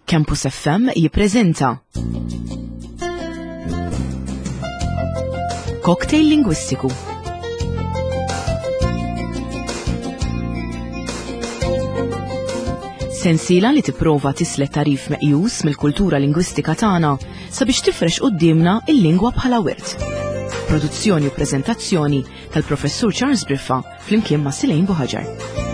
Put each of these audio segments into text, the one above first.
Campus FM jippreżenta Cocktail Lingwistiku. Sensiela li tipprova tislet tarif meqjus mill-kultura lingwistika tagħna sabiex tifrex quddiemna il-lingwa bħala wirt. Produzzjoni u preżentazzjoni tal-Professur Charles Briffa flimkien ma' Silejn Buħaġar.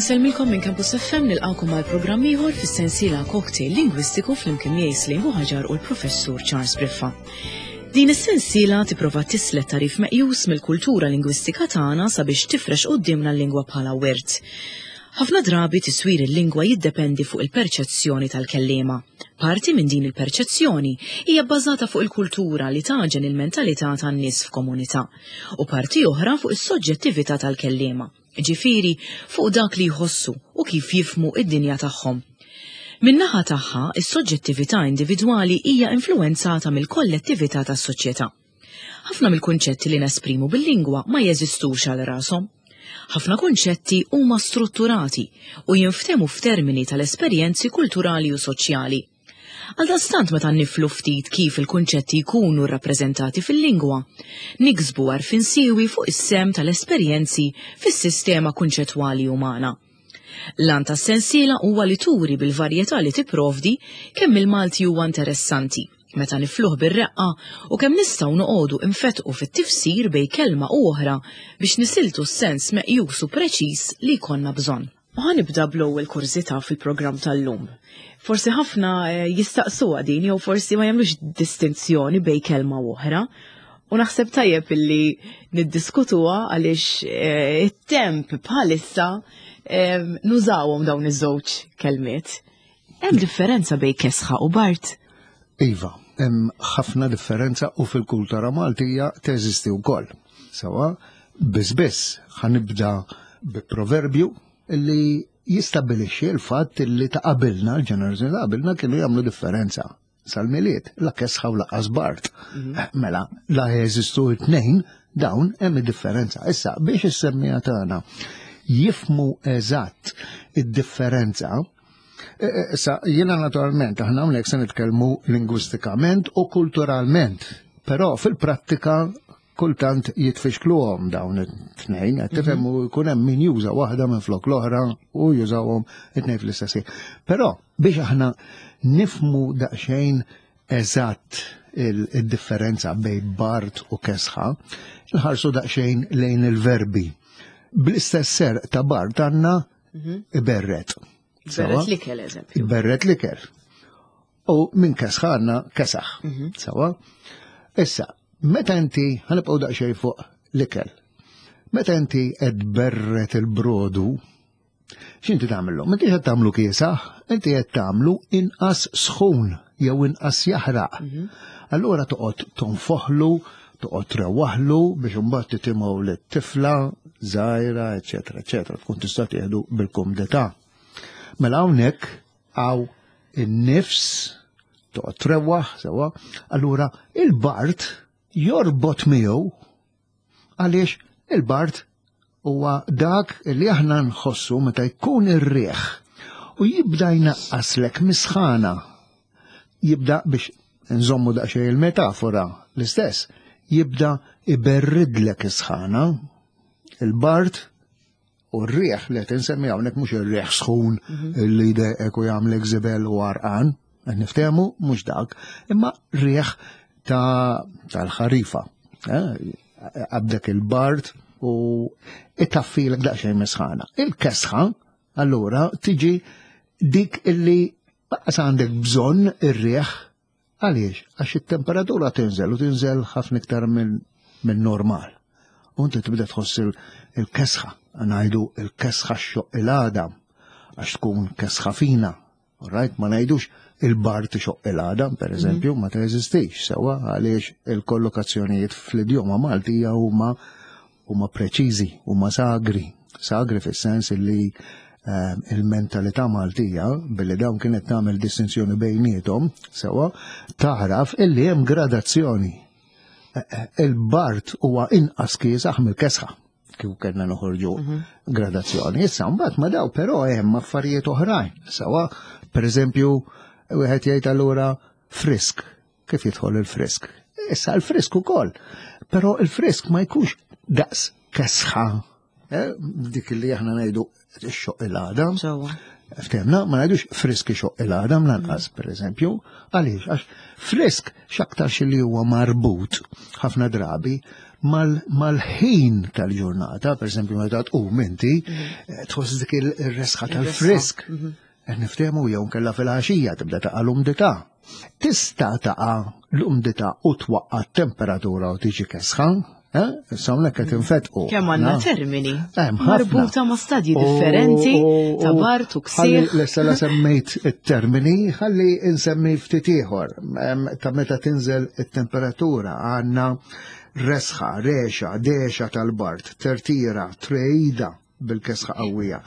Insellmilkom minn Campus FM nilqakom għal programm ieħor fis-sensiela Cocktail Lingwistiku flimkien miegħi Slim Buħaġar u l-Professur Charles Briffa. Din is-sensiela tipprova tislet tarif meqjus mill-kultura lingwistika tagħna sabiex tifrex quddiemna l-lingwa bħala wirt. Ħafna drabi tiswir il-lingwa jiddependi fuq il-perċezzjoni tal-kelliema. Parti minn din il-perċezzjoni hija bbażata fuq il-kultura li tagħġen il-mentalità tan-nies f'komunità u parti oħra fuq is-soġġettività tal-kelliema. ġifieri fuq dak li jħossu u kif jifhmu d-dinja tagħhom. Min-naħa tagħha, is-soġġettività individwali hija influwenzata mill-kollettività tas-soċjetà. Ħafna mill-kunċetti li nesprimu bil-lingwa ma jeżistux għal rashom. Ħafna kunċetti huma strutturati u jinftehmu f'termini tal-esperjenzi kulturali u soċjali. Għaldaqstant meta niflu ftit kif il-kunċetti jkunu rrappreżentati fil-lingwa, niksbu għarfien siewi fuq is-sehem tal-esperjenzi fis-sistema kunċettwali umana. L-għan tas-sensiela huwa li turi bil-varjetà li tipprovdi kemm il-Malti huwa interessanti meta nifluh bir-reqqa u kemm nistgħu noqogħdu infettqu fit-tifsir bejn kelma u oħra biex nisiltu s-sens meqjus u preċiż li jkollna bżonn. U ħa nibda bl-ewwel kurżità fil-programm tal-lum. Forsi ħafna eh, jistaqsuha din jew forsi ma jagħmlux distinzjoni bejn kelma u oħra. U naħseb tajjeb illi niddiskutuha għaliex eh, it-temp bħalissa eh, nużawhom dawn iż-żewġ kelmiet. Hemm differenza bejn kesħa u bart? Iva, hemm ħafna differenza u fil-kultura Maltija teżisti wkoll. Sawa, biss biss ħanibda bi proverbju li jistabilixxi l-fatt li ta' qabilna, l-ġenerazzjoni ta' qabilna kienu jagħmlu differenza sal-miliet, la kesħa u laqas bart. Mhm. Eh, mela, la jeżistu it-tnejn, dawn hemm differenza. Issa, biex is-semmija tagħna jifmu eżatt id-differenza, eh, eh, issa jiena naturalment aħna hawnhekk se nitkellmu lingwistikament u kulturalment, però fil-prattika kultant jitfixkluhom dawn it-tnejn, qed tifhem mhm. u jkun hemm min juża waħda minn flok l-oħra u jużawhom it-tnejn fl-istess Però biex aħna nifmu daqsxejn eżatt il-differenza bejn bart u kesħa, nħarsu daqsxejn lejn il-verbi. Bl-istess ser ta' bart għandna mhm. iberret. Berret l-ikel, eżempju. Berret l-ikel. U minn kesħa għandna kesaħ. Mhm. Sawa? Issa, meta inti ħanibqgħu daqsxejn fuq l-ikel. Meta inti qed berret il-brodu, x'inti tagħmlu? M'intix qed tagħmlu kiesaħ, inti qed tagħmlu inqas sħun jew inqas jaħraq. Mhm. Allura toqgħod tonfoħlu, toqgħod trewwaħlu biex imbagħad titimgħu lit-tifla żgħira, eċetera, eċetera, tkun tista' tieħdu bil-kumdità. Mela hawnhekk Għaw in-nifs, toqgħod trewwaħ sewwa, allura il-bart jorbot miegħu għaliex il-bart huwa dak li aħna nħossu meta jkun ir-riħ u jibda jnaqqaslek misħana. Jibda biex nżommu daqsxejn il-metafora l-istess, jibda iberridlek is-sħana. Il-bart U r-riħ li qed insemmi hawnhekk mhux ir-riħ sħun mhm. li jdejqek u jagħmlek żibel u għarqan, qed niftehmu mhux dak, imma riħ tal-ħarifa. Eh, għabdek il-bard u itaffilek daqsxejn misħana. Il-kesħa, allura, tiġi dik illi baqas għandek bżonn ir-riħ Għaliex? Għax it-temperatura tinżel u tinżel ħafna iktar minn normal. U inti tibda tħoss il-kesħa, ngħidu il-kesħa xoq il-għadam, għax tkun kesħa fina. Right? Ma ngħidux il-bar tixoq il-għadam, per mhm. eżempju, ma teżistix sewa għaliex il-kollokazzjonijiet fl-idjoma Maltija huma huma preċiżi, huma sagri. Sagri fis-sens li il-mentalità Maltija, billi dawn kienet tagħmel distinzjoni bejniethom, sewwa, taħraf illi hemm gradazzjoni. Eh, eh, il-bart huwa inqas kiesaħ mill-kesħa kif kellna noħorġu gradazzjoni. Issa mbagħad ma daw però hemm affarijiet oħrajn. Sewwa, pereżempju, wieħed jgħid allura frisk. Kif jidħol il-frisk? Issa l-frisk ukoll. Però il-frisk ma jkunx daqs kesħa. Eh, dik li aħna ngħidu xoq il-għadam. Ftemna, ma ngħidux frisk xoq il-għadam lanqas, per eżempju. Għaliex, għax frisk x'aktarx li huwa marbut ħafna drabi mal-ħin tal-ġurnata, per eżempju, meta tqum inti, mhm. tħoss dik il-resħa tal-frisk. Mhm. Qed niftehmu jew nkella fil-għaxija tibda taqa' l-umdità. Tista' taqa' l-umdità u twaqqa' t-temperatura u tiġi kesħa, eh? Issa hawnhekk qed infetqu. Kemm għandna termini marbuta ma' stadji differenti ta' bart u ksieħ. Lesta la semmejt it-termini, ħalli insemmi ftit ieħor ta' meta tinżel it-temperatura għandna resħa, rexa, dexa tal-bart, tertira, trejda, bil-kesħa qawwija.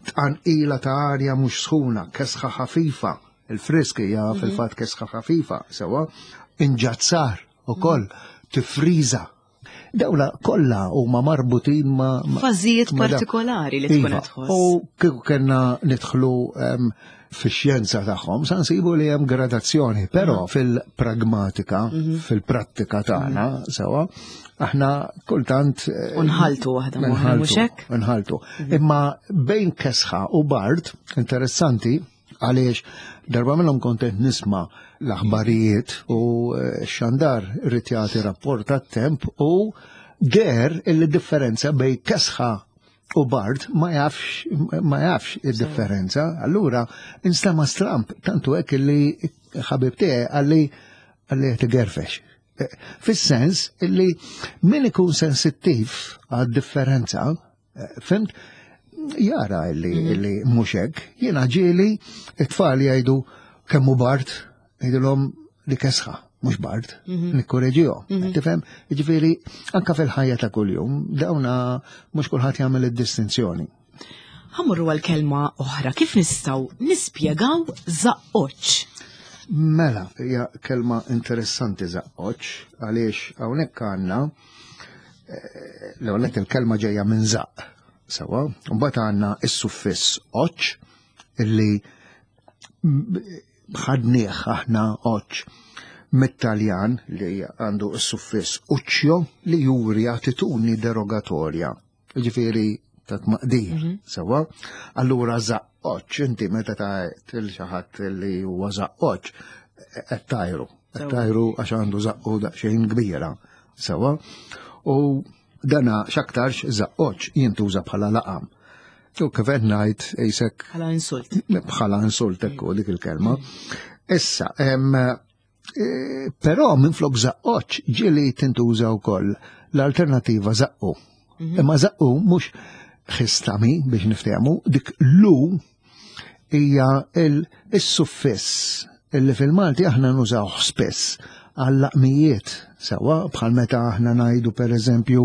Tqanqila ta' arja mhux sħuna, kesħa ħafifa, il-frisk hija mhm. fil-fatt kesħa ħafifa, sewwa, inġazzar ukoll, mhm. tifriża. Dawla kollha huma marbutin ma' fażijiet partikolari li tkun iva, tħoss. U kieku kellna nidħlu fix-xjenza tagħhom sa nsibu li hemm gradazzjoni, però mhm. fil-pragmatika, mhm. fil-prattika tagħna mhm. sewwa, aħna kultant eh, Unħaltu waħda mhux hekk? Nħaltu. Imma bejn kesħa u bard, interessanti, għaliex darba minnhom kontent nisma' l-aħbarijiet u eh, xandar irid jagħti rapport tat-temp u der il-differenza bejn kesħa u Bart ma jafx ma jafx id-differenza. Allura instema stramp tantu hekk li ħabib tiegħi għalli għalli qed igerfex. Eh, fis-sens illi min ikun sensittiv għad-differenza, eh, fimt, jara illi, mhm. illi mhux hekk. Jiena ġieli it-tfal jgħidu kemm hu Bart, ngħidilhom li kesħa, mhux bard, mhm. nikkoreġihom. Mhm. Tifhem? Jiġifieri anka fil-ħajja ta' kuljum dawna mhux kulħadd jagħmel id-distinzjoni. Ħamurru għal kelma oħra, kif nistgħu nispjegaw żaqqoċ? Mela, hija kelma interessanti żaqqoċ, għaliex hawnhekk għandna eh, l-ewwel il-kelma ġejja minn żaqq, sewwa, mbagħad għandna is-suffiss oċ illi ħadnieh aħna oċ mit-Taljan li għandu s-suffiss uccio li juri attitudni derogatorja. Ġifieri ta' tmaqdir, mhm. sewwa. Allura zaqqoċ, inti meta ta' til xi ħadd li huwa zaqqoċ, qed tajru. Qed tajru għax għandu zaqqu daqsxejn kbira, sewwa. U dana x'aktarx zaqqoċ jintuża bħala laqam. U kif qed ngħid qisek. Bħala insult. Bħala insult ekku dik il-kelma. Issa, e, però minn flok zaqqoċ ġieli tintuża wkoll l-alternativa zaqqu. Mhm. Imma zaqqu mhux ħistami biex niftehmu, dik lu hija il-suffiss illi fil-Malti aħna nużawh spiss għall-laqmijiet sewwa bħal meta aħna ngħidu pereżempju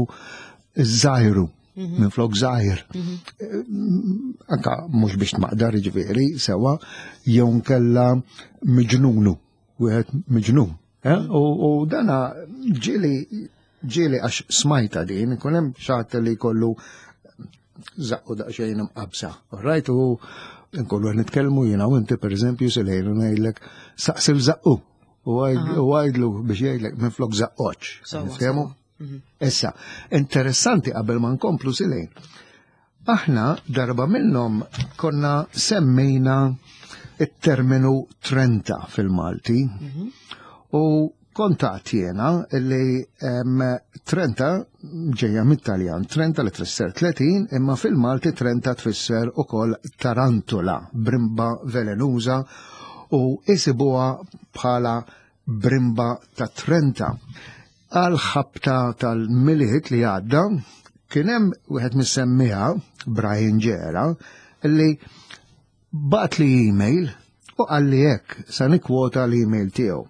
iż-żajru mhm. minn flok żgħir. Mhm. Eh, anka mhux biex tmaqdar ġifieri sewwa jew nkella miġnunu, wieħed miġnun. Eh? U dana ġieli ġieli għax smajta din, ikun hemm xatt li jkollu zaqqu daqsxejn imqabsa. Rajt u nkollu qed nitkellmu jiena u inti pereżempju silejn u ngħidlek saqsil zaqqu u għajdlu biex jgħidlek minn flok zaqqoċ. Niftehmu? Mhm. Issa, interessanti qabel ma nkomplu silejn. Aħna darba minnhom konna semmejna it-terminu 30 fil-Malti mhm. u kontat jena li 30 ġeja mit-Taljan, 30 li tfisser 30, imma fil-Malti 30 tfisser ukoll tarantula, brimba velenuża u isibuha bħala brimba ta' 30. Għal ħabta tal-Milied li għadda, kien hemm wieħed mis-semmiegħa, Brian Ġera, li bagħatli email u qalli hekk, sa nikkwota l-email tiegħu.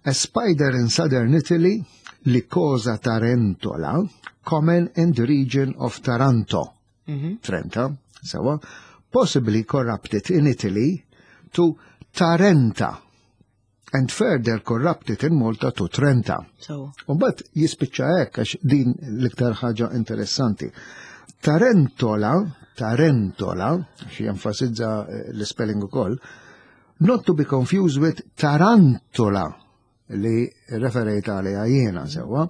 A spider in southern Italy, Lycosa tarentola, common in the region of Taranto. Trenta, sewa, possibly corrupted in Italy to Tarenta and further corrupted in Malta to Trenta. So. Umbat jispiċċa hekk għax din l-iktar ħaġa interessanti. Tarentola, Tarentola, xi jenfasizza eh, l-spelling ukoll, not to be confused with Tarantola, li referejt għaliha jiena sewwa,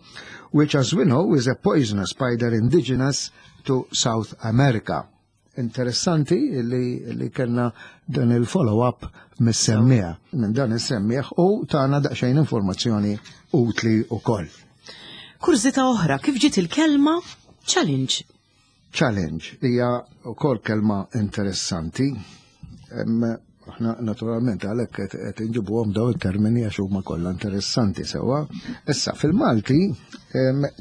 which as we know is a poisonous spider indigenous to South America. Interessanti li, li kellna dan il-follow-up mis-semmieħ, minn dan is-semmieħ u tana daqsxejn informazzjoni utli ukoll. Kurżità oħra, kif ġiet il-kelma challenge? Challenge hija wkoll kelma interessanti. Aħna naturalment għalhekk qed inġibuhom daw it-termini għax huma kollha interessanti sewwa. Issa fil-Malti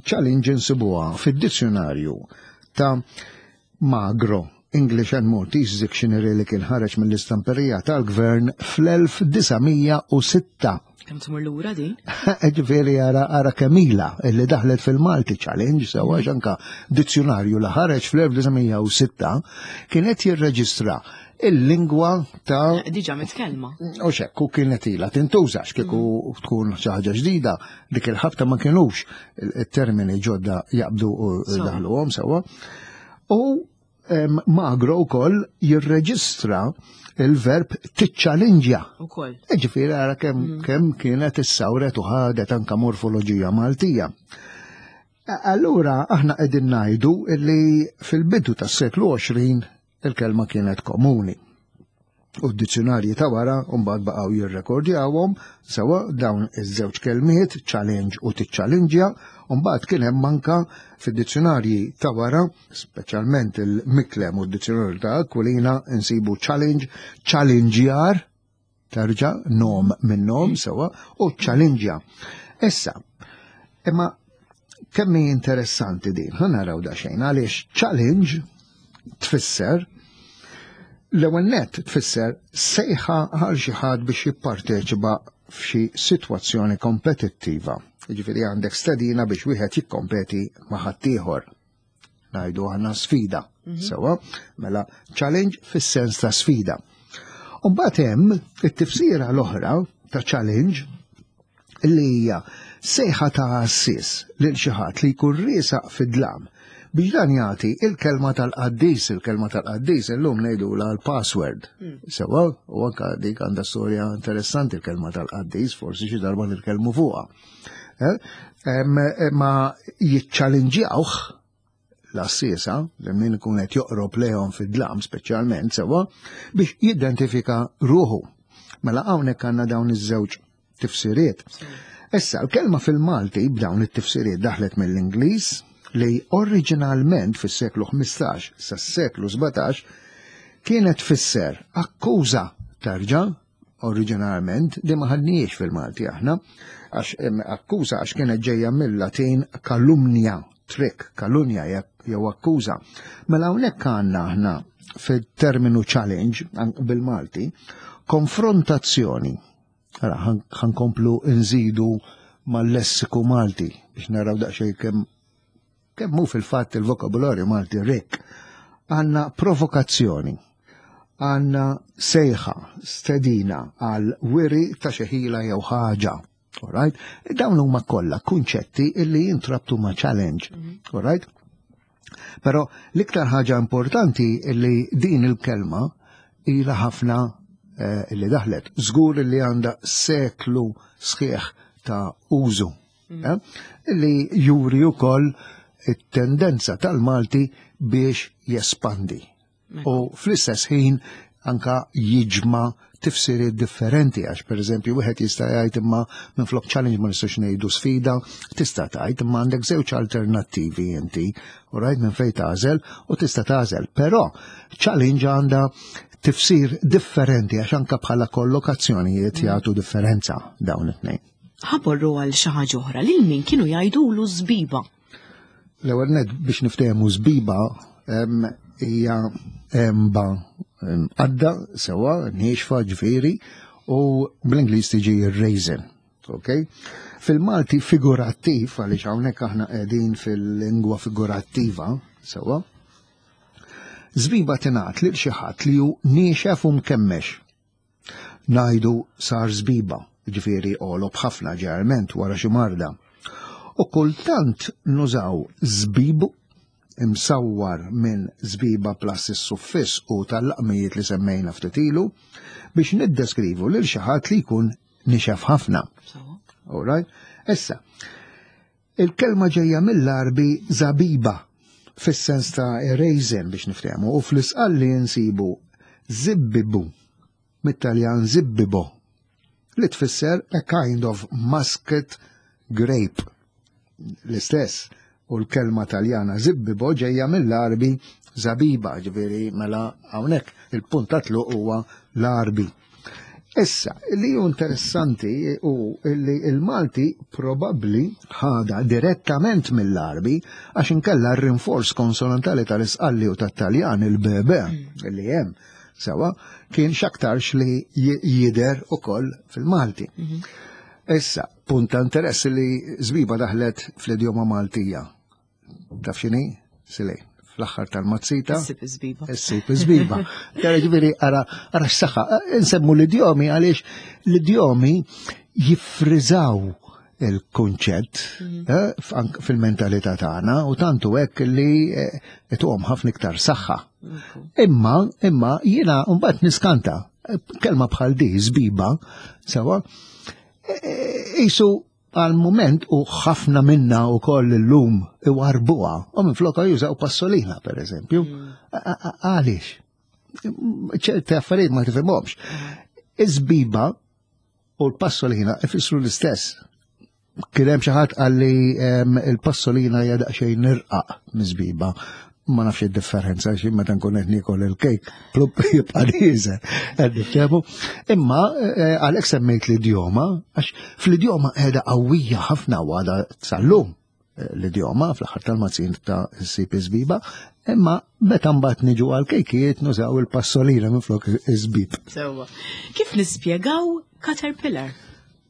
challenge insibuha fid-dizzjonarju ta' Magro English and Maltese Dictionary li kien ħareġ mill-istamperija tal-gvern fl-1906. Kemm tmur lura din? Ġifieri ara ara kemila illi daħlet fil-Malti Challenge sewa anka dizzjonarju li ħareġ fl-1906 kien qed jirreġistra il-lingwa ta' eh, Diġà mitkellma. U xekk u kienet ilha tintuża x'kieku mm. tkun xi ħaġa ġdida dik il-ħabta ma kinux il-termini ġodda jaqbdu u daħluhom sewwa. U Magro wkoll jirreġistra il-verb tiċċalinġja. Ukoll. E ġifieri ara kemm mm. kemm kienet issawret u ħadet anka morfoloġija Maltija. Allura aħna qegħdin ngħidu li fil-bidu tas-seklu 20 il-kelma kienet komuni. U d-dizzjonarji ta' wara mbagħad baqgħu jirrekordjawhom sewa dawn iż-żewġ kelmiet challenge u tiċċalinġja, u mbagħad kien hemm anka fid-dizzjonarji ta' wara, speċjalment il-Miklem u d-dizzjonarju ta' Aquilina insibu challenge, challengejar, terġa' nom minn nom sewa u challengeja. Issa, imma kemm hi interessanti din, ħa naraw daqsxejn għaliex challenge tfisser l-ewwel nett tfisser sejħa għal xi ħadd biex jipparteċipa f'xi sitwazzjoni kompetittiva. Jiġifieri għandek stedina biex wieħed jikkompeti ma' ħaddieħor. Ngħidu aħna sfida. Mhm. Sewa, mela challenge fis-sens ta' sfida. U mbagħad hemm it-tifsira l-oħra ta' challenge li hija sejħa ta' għassies lil xi ħadd li jkun riesaq fid-dlam biex dan jagħti il-kelma tal-qaddis, il-kelma tal-qaddis illum ngħidulha l-password. Hmm. Sewa, u anka dik għandha storja interessanti il-kelma tal-qaddis, forsi xi darba nitkellmu fuqha. Eh? Ma jiċċalinġjawh l-għassiesa, li min ikun qed joqrob lejhom fid-dlam speċjalment sewwa, biex jidentifika ruħu. Mela hawnhekk għandna dawn iż-żewġ tifsiriet. Issa, l-kelma fil-Malti b'dawn it-tifsiriet daħlet mill-Ingliż li oriġinalment fis-seklu 15 sas-seklu 17 kienet tfisser akkuża terġa' oriġinarment li ma ħadniex fil-Malti aħna, għax akkuża għax kienet ġejja mill-Latin kalumnia, trick, kalunja jew akkuża. Mela hawnhekk għandna aħna fit-terminu challenge bil-Malti konfrontazzjoni. Ara ħankomplu nżidu mal-lessiku Malti biex naraw daqsxejn kemm Kemm hu fil-fatt il-vokabularju Malti rikk, għandna provokazzjoni, għandna sejħa, stedina għal wiri ta' xi ħila jew ħaġa. Alright? Dawn huma kollha kunċetti illi jintrabtu ma' challenge. Mhm. Alright? Però l-iktar ħaġa importanti illi din il-kelma ilha ħafna eh, illi daħlet. Żgur illi għandha seklu sħiħ ta' użu Mm. Eh, li juri wkoll it-tendenza tal-Malti biex jespandi. U fl-istess ħin anka jiġma tifsiriet differenti għax pereżempju wieħed jista' jgħid imma minflok challenge ma nistax ngħidu sfida, tista' tgħid imma għandek żewġ alternattivi inti, u rajt minn fejn tagħżel u tista' tagħżel. Però challenge għandha tifsir differenti għax anka bħala kollokazzjonijiet mm. jagħtu differenza dawn it-tnejn. Ħaborru għal xi ħaġa oħra lil min kienu jgħidulu żbiba. L-ewwel nett biex niftehmu żbiba hija emba għadda sewa niexfa ġifieri u bl-Ingliż tiġi raisin. Okay? Fil-Malti figurattiv, għaliex hawnhekk aħna qegħdin fil-lingwa figurattiva, sewa. Żbiba tingħad lil xi ħadd li hu niexef u mkemmex. Ngħidu sar żbiba, jiġifieri għolob ħafna ġeneralment wara xi marda. U kultant nużaw żbib imsawwar minn żbiba plus is-suffiss u tal-laqmijiet li semmejna ftit ilu biex niddeskrivu lil xi ħadd li jkun nixef ħafna. All right? Issa, il-kelma ġejja mill-Għarbi zabiba fis-sens ta' raisin biex niftehmu u fl-isqalli nsibu zibbibu mit-Taljan zibbibo li tfisser a kind of muscat grape. L-istess u l-kelma Taljana zibbibo ġejja mill-Għarbi zabiba, ġifieri mela hawnhekk il-punt ta' tluq huwa l-Għarbi. Issa, li hu interessanti hu li il-Malti probabbli ħada direttament mill-Għarbi għax inkella r-rinforz konsonantali tal-Isqalli u tat-Taljan il-BB li hemm sewa kien x'aktarx li jidher ukoll fil-Malti. Issa, punt ta' interess li żbiba daħlet fl-idjoma Maltija. Taf x'inhi? Silej, fl-aħħar tal-mazzita. Issib iż-żbiba. Issib iż-żbiba. Tara ġifieri ara ara x-saħħa. Insemmu l-idjomi għaliex l-idjomi jiffriżaw il-kunċett fil-mentalità tagħna u tantu hekk li ituhom ħafna iktar saħħa. Imma, imma jiena mbagħad niskanta kelma bħal di żbiba, sewa, qisu għal mument u ħafna minna u koll illum iwarbuha u minn floka jużaw passolina per eżempju. Għaliex? Ċerti affarijiet ma tifhimhomx. Iż-żbiba u l-passolina ifissru l-istess. Kien hemm xi ħadd qalli il-passolina hija daqsxejn nirqaq miż-żbiba. Ma nafx id-differenza xi meta nkun qed niekol il-kejk plupp jibqa' nieżel. Qed niftehmu. Imma għalhekk semmejt l-idjoma għax fl-idjoma qiegħda qawwija ħafna u għadha sal-lum l-idjoma fl-aħħar tal-mazzin ta' ssib iż-żbiba, imma meta mbagħad niġu għal kejkijiet nużaw il-passolina minflok iż-żbib. Sewwa. Kif nispjegaw caterpillar?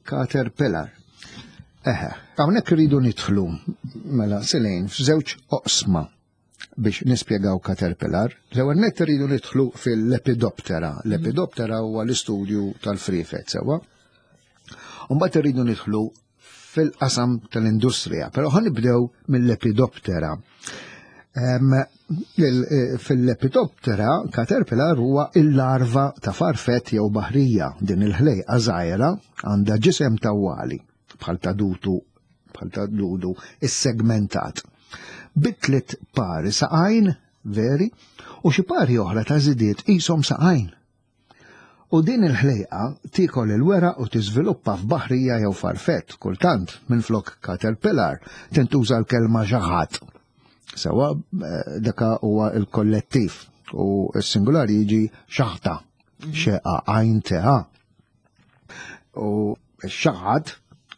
Caterpillar. Eħe, hawnhekk irridu nidħlu mela silejn f'żewġ oqsma biex nispjegaw caterpillar. L-ewwel nett irridu nidħlu fil-Lepidoptera. Lepidoptera huwa l-istudju tal-friefet sewwa. U mbagħad irridu nidħlu fil-qasam tal-industrija, però ħa nibdew mill-Lepidoptera. Fil-Lepidoptera, caterpillar huwa il-larva ta' farfett jew baħrija. Din il-ħlejqa żgħira għandha ġisem tawwali bħal ta' dutu, bħal ta' dudu issegmentat. Bi tliet pari saqajn veri u xi pari oħra ta' żidiet qishom saqajn. U din il-ħlejqa tiekol il-weraq u tiżviluppa f'baħrija jew farfett, kultant minflok caterpillar tintuża l-kelma xaħat. Sewa daka huwa l-kollettiv u s-singular jiġi xaħta, xeqa għajn teha. U x-xaħat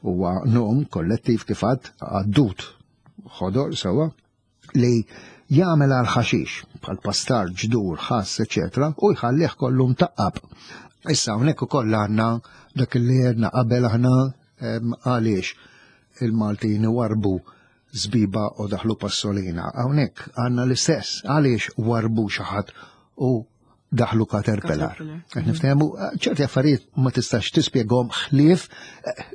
huwa nom kollettiv kif għad għaddut ħodor sewa li jagħmel għal ħaxix bħal pastar, ġdur, ħass, eċetera, u jħallih kollu mtaqqab. Issa hawnhekk ukoll għandna dak li għedna qabel aħna għaliex il-Maltin warbu żbiba u daħlu passolina. Hawnhekk għandna l-istess għaliex warbu xi ħadd u daħlu caterpillar. Qed niftehmu ċerti affarijiet ma tistax tispjegahom ħlief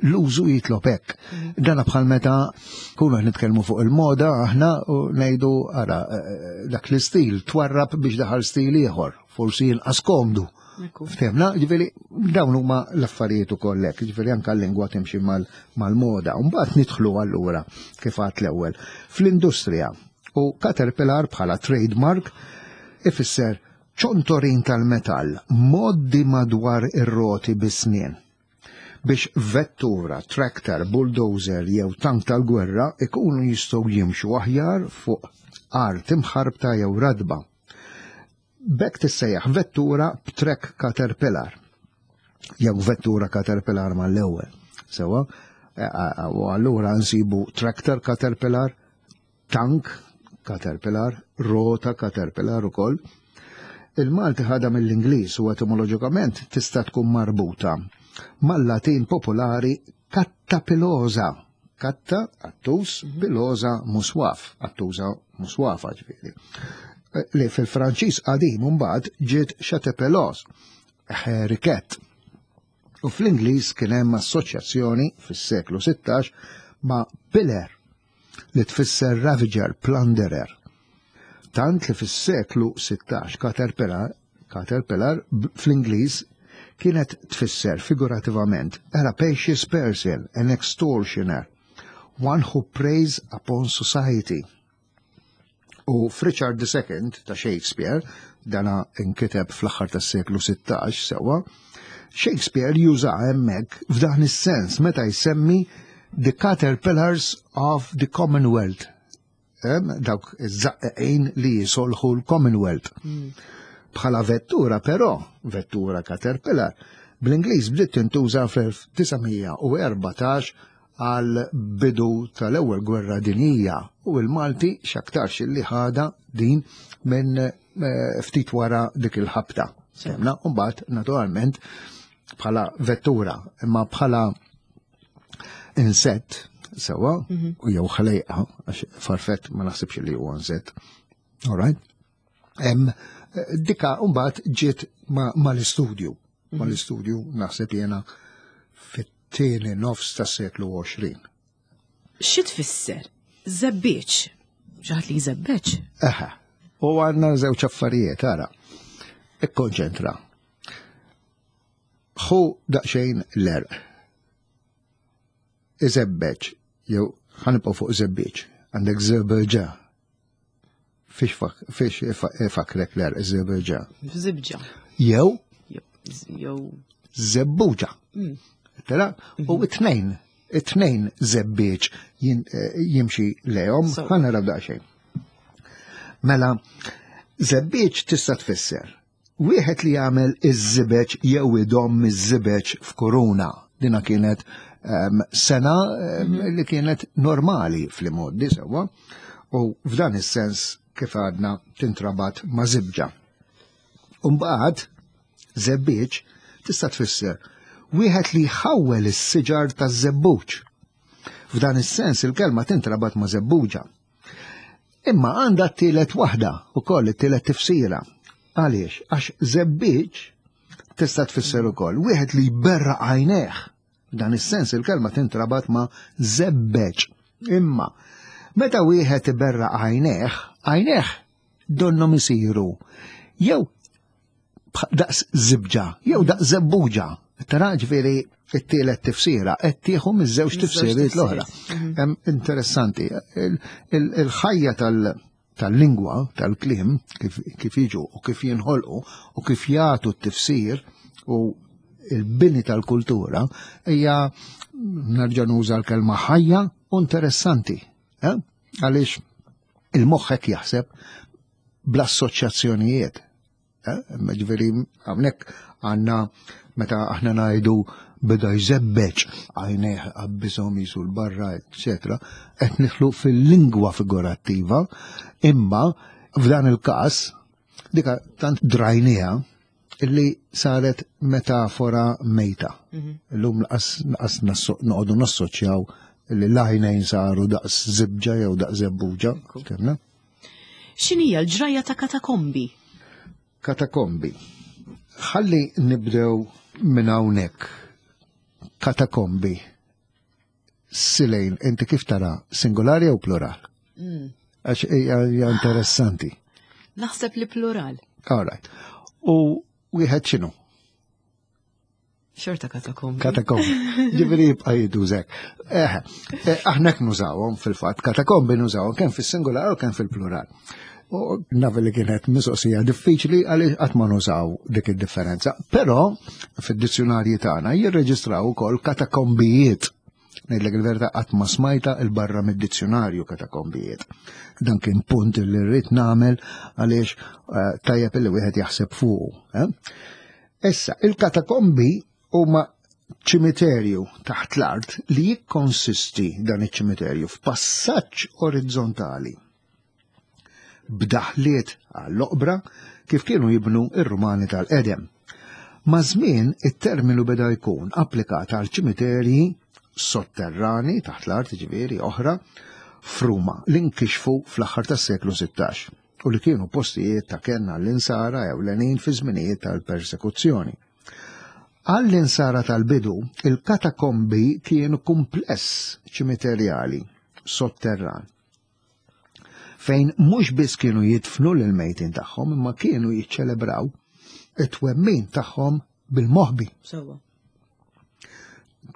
l-użu jitlob hekk. Dana bħal meta kunu qed nitkellmu fuq il-moda aħna u ngħidu ara dak l-istil twarrab biex daħal stil ieħor, forsi inqas komdu. Ftehmna, ġifieri dawn huma l-affarijiet ukoll hekk, ġifieri anke l-lingwa timxi mal-moda. U mbagħad nidħlu allura kif għadt l-ewwel fl-industrija. U caterpillar bħala trademark ifisser ċontorin tal-metall moddi madwar ir-roti bis-snien biex vettura, tractor, bulldozer jew tank tal-gwerra ikunu jistgħu jimxu aħjar fuq art imħarbta jew radba. B'hekk tissejjaħ vettura b'track caterpillar jew vettura caterpillar mal-ewwel. Sewa, u allura nsibu tractor caterpillar, tank caterpillar, rota caterpillar ukoll. Il-Malti ħadha mill-Ingliż u etimoloġikament tista' tkun marbuta mal-Latin popolari cattapilosa. Katta, attus, pilosa, muswaf. Attusa, muswafa ġifieri. Li fil-Franċiż qadim mbagħad ġiet chatepelos, hairy cat. U fl-Ingliż kien hemm assoċjazzjoni fis-seklu 16 ma' piller li tfisser ravager, plunderer. Tant li fis-seklu 16 caterpillar, caterpillar fl-Ingliż kienet tfisser figurativament a rapacious person, an extortioner, one who preys upon society. U f'Richard II ta' Shakespeare, dana inkiteb fl-aħħar tas-seklu 16 sewwa, Shakespeare juża hemmhekk f'dan is-sens meta jsemmi the caterpillars of the Commonwealth. Dawk iż-żaqqeqin li jisolħu l-Commonwealth. Bħala vettura però, vettura caterpillar, bl-Ingliż bdiet tintuża fl-1914 għal bidu tal-ewwel gwerra dinjija u l-Malti x'aktarx li ħada din minn ftit wara dik il-ħabta. Semna, u mbagħad naturalment bħala vettura, imma bħala insett sewa, u jew ħlejqa, għax farfett ma naħsibx li huwa insett. All right? Dika mbagħad ġiet mal-istudju. Mal-istudju naħseb jiena fit-tieni nofs tas-seklu 20. Xi tfisser? Żebbieġ. Xi ħadd li jżebbeġ? Eħe. U għandna żewġ affarijiet, ara. Ikkonċentra. Ħu daqsxejn l-erq. Iżebbeġ, jew ħanibqgħu fuq żebbieġ. Għandek żebbeġa. Fiex ifakrek l-erq żebbeġa? Żibġa. Jew? Jew. Żebbuġa. Tara? U it-tnejn żebbieġ jimxi lehom, ħa naraw daqsxejn. Mela, żebbieġ tista' tfisser wieħed li jagħmel iż-żibeġ jew idom iż-żibeġ f'kuruna. Dina kienet sena li kienet normali fl-imgħoddi sewwa, u f'dan is-sens kif għadna tintrabat ma' żibġa. Umbagħad żebbieġ tista' tfisser wieħed li jħawwel is-siġar taż-żebbuġ. F'dan is-sens il-kelma tintrabat ma' żebbuġa. Imma għandha t-tielet waħda ukoll it-tielet tifsira. Għaliex? Għax żebbiġ tista' tfisser ukoll wieħed li jberraq għajnejh. F'dan is-sens il-kelma tintrabat ma' żebbeġ. Imma meta wieħed iberraq għajnejh, għajnejh donhom isiru jew daqs żibġa, jew daqs żebbuġa. Tara ġifieri it-tielet tifsira qed tieħu miż-żewġ tifsiriet l-oħra. Interessanti, il-ħajja tal-lingwa, tal-kliem, kif jiġu u kif jinħolqu u kif jagħtu t-tifsir u il-bini tal-kultura hija nerġa' nuża l-kelma ħajja u interessanti. Għaliex il-moħħ hekk jaħseb bl-assoċjazzjonijiet. Ġifieri hawnhekk għandna meta aħna ngħidu beda jżebbeġ għajnejh qabbiżhom jisu l-barra, eċetera, qed nidħlu fil-lingwa figurattiva, imma f'dan il-każ dika tant drajniha illi saret metafora mejta. Illum laqas noqogħdu nassoċjaw li l-għajnejn saru daqs żibġa jew daqs żebbuġa. Fhimna? X'inhija l-ġrajja ta' katakombi? Katakombi. Ħalli nibdew minn hawnhekk. Katakombi. Silejn, inti kif tara, singolari jew plural? Għax hija interessanti. Naħseb li plural. All right. U wieħed x'inhu? Xorta katakombi. Katakombi. Ġifieri jibqa' jidużek. Aħna hekk nużawhom fil-fatt, katakombi nużawhom kemm fis-singular u kemm fil-plural. U naf li kienet mistoqsija diffiċli għaliex qatt ma nużaw dik id-differenza. Però fid-dizzjonarji tagħna jirreġistraw ukoll katakombijiet. Ngħidlek il-verità qatt ma smajta il-barra mid-dizzjonarju katakombijiet. Dan kien punt li rrid nagħmel għaliex tajjeb li wieħed jaħseb fuqu. Issa, il-katakombi huma ċimiterju taħt l-art li jikkonsisti dan iċ-ċimiterju f'passaġġ orizzontali b'daħliet għall-oqbra kif kienu jibnu ir-Rumani tal-qedem. Ma' żmien it-terminu beda jkun applikat għal ċimiterji sotterrani taħt l-art ġifieri oħra f'Ruma li nkixfu fl-aħħar tas-seklu 16. u li kienu postijiet ta' kenn għall-insara ewlenin fi żminijiet tal-persekuzzjoni. Għall-insara tal-bidu, il-katakombi kienu kumpless ċimiterjali sotterran fejn mhux biss kienu jidfnu lil mejtin tagħhom imma kienu jiċċelebraw it-twemmin tagħhom bil-moħbi. Sewwa.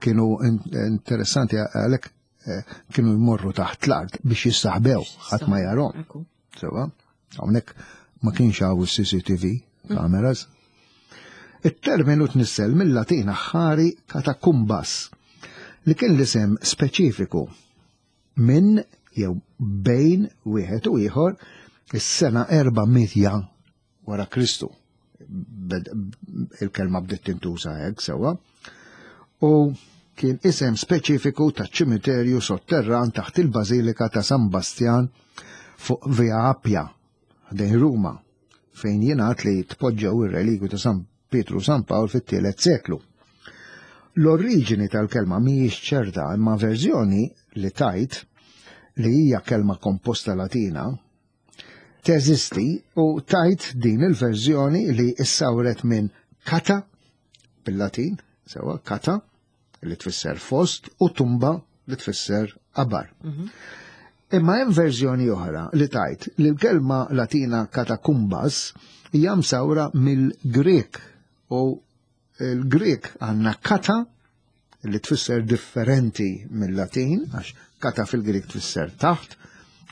Kienu interessanti għalhekk eh, kienu jmorru taħt l-art biex jistaħbew ħadd ma jarhom. Sewwa, hawnhekk ma kienx hawn is-CCTV mm. cameras. It-terminu tnissel mill-Latin aħħari katakumbas li kien l-isem speċifiku minn jew bejn wieħed u ieħor is-sena 400 wara Kristu. Il-kelma bdiet tintuża hekk sewwa. U kien isem speċifiku ta' ċimiterju sotterran taħt il-Bażilika ta' San Bastjan fuq Via Appia ħdejn Ruma, fejn jingħad li tpoġġew ir-relikwi ta' San Pietru San Pawl fit-tielet seklu. L-oriġini tal-kelma mhijiex ċerta imma verżjoni li tajt li hija kelma komposta Latina teżisti u tajt din il-verżjoni li issawret minn kata bil-Latin, sewa kata li tfisser fost u tumba li tfisser qabar. Mhm. Imma hemm verżjoni oħra li tajt li l-kelma Latina katakumbas hija msawra mill-Grek u l-Grek għandna kata li tfisser differenti mill-Latin, għax kata fil-Grek tfisser taħt,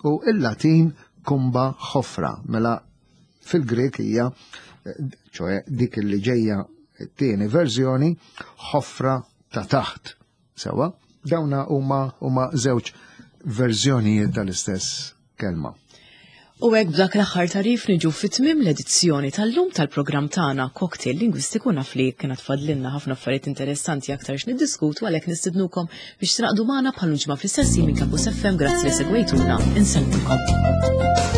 u il-Latin kumba ħofra, mela fil-Grek hija ċoħe dik li ġejja t-tieni verżjoni ħofra ta' taħt. Sewa, dawna huma huma żewġ verżjonijiet tal-istess kelma. U hekk b'dak l-aħħar tarif niġu fit-tmiem l-edizzjoni tal-lum tal-programm tagħna Cocktail Lingwistiku naf li kienet fadlilna ħafna affarijiet interessanti aktar x'niddiskutu għalhekk nistidnukom biex tingħaqdu magħna bħal ġimgħa fl-istess minn Campus FM grazzi li segwejtuna insellmulkom.